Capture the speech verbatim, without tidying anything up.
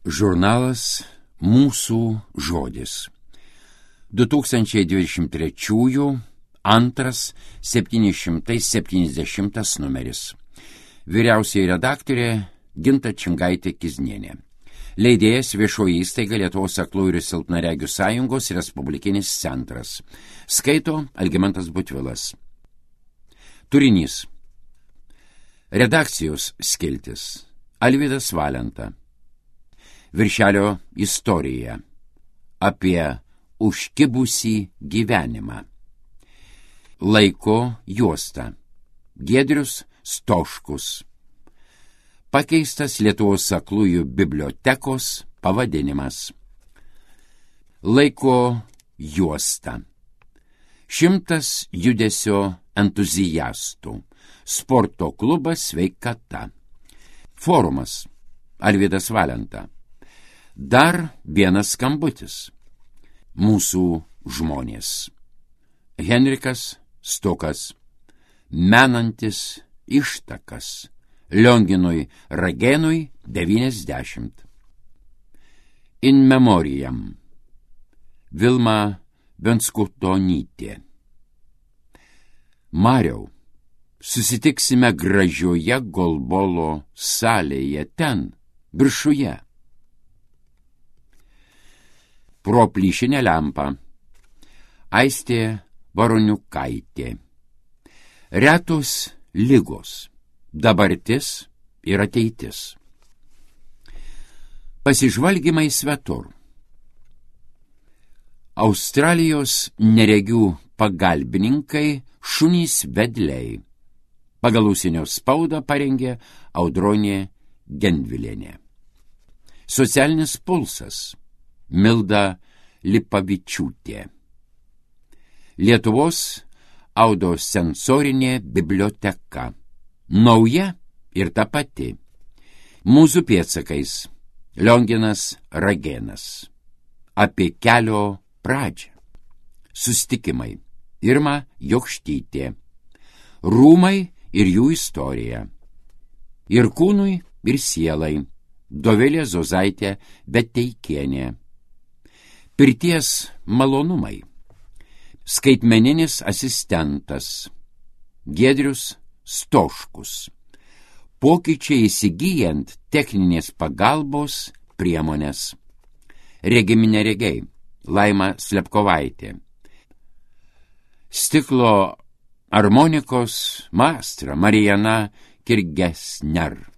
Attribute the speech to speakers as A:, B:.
A: Žurnalas Mūsų žodis. du tūkstančiai dvidešimt trečiųjų antras septyni šimtai septyniasdešimtas numeris. Vyriausioji redaktorė Ginta Čingaitė-Kiznienė. Leidėjas Viešoji įstaiga Lietuvos aklųjų ir silpnaregių sąjungos Respublikinis centras. Skaito Algimantas Butvilas. Turinys. Redakcijos skiltis. Alvydas Valenta. Viršelio istorija. Apie užkibusį gyvenimą. Laiko juosta. Giedrius Stoškus. Pakeistas Lietuvos aklųjų bibliotekos pavadinimas. Laiko juosta. Šimtas judesio entuziastų. Sporto klubas Sveikata. Forumas. Alvydas Valenta. Dar vienas skambutis. Mūsų žmonės. Henrikas Stukas. Menantis ištakas. Lionginui Ragenui devyniasdešimt. In memoriam. Vilma Venskutonytė. Mariau, susitiksime gražioje golbolo salėje ten, viršuje. Pro plyšinę lempą. Aistė Varoniukaitė. Retos ligos. Dabartis ir ateitis. Pasižvalgymai svetur. Australijos neregių pagalbininkai šunys vedliai. Pagal užsienio spaudą parengė Audronė Gendvilienė. Socialinis pulsas. Milda Lipavičiūtė. Lietuvos audiosensorinė biblioteka. Nauja ir ta pati. Mūsų pėdsakais. Lionginas Ragenas. Apie kelio pradžią. Sustikimai. Irma Jokštytė. Rūmai ir jų istorija. Ir kūnui, ir sielai. Dovilė Zozaitė Beteikienė. Pirties malonumai. Skaitmeninis asistentas. Giedrius Stoškus. Pokyčiai įsigyjant techninės pagalbos priemonės. Regimi neregiai. Laima Slepkovaitė. Stiklo armonikos maestra Marijana Kirgesner.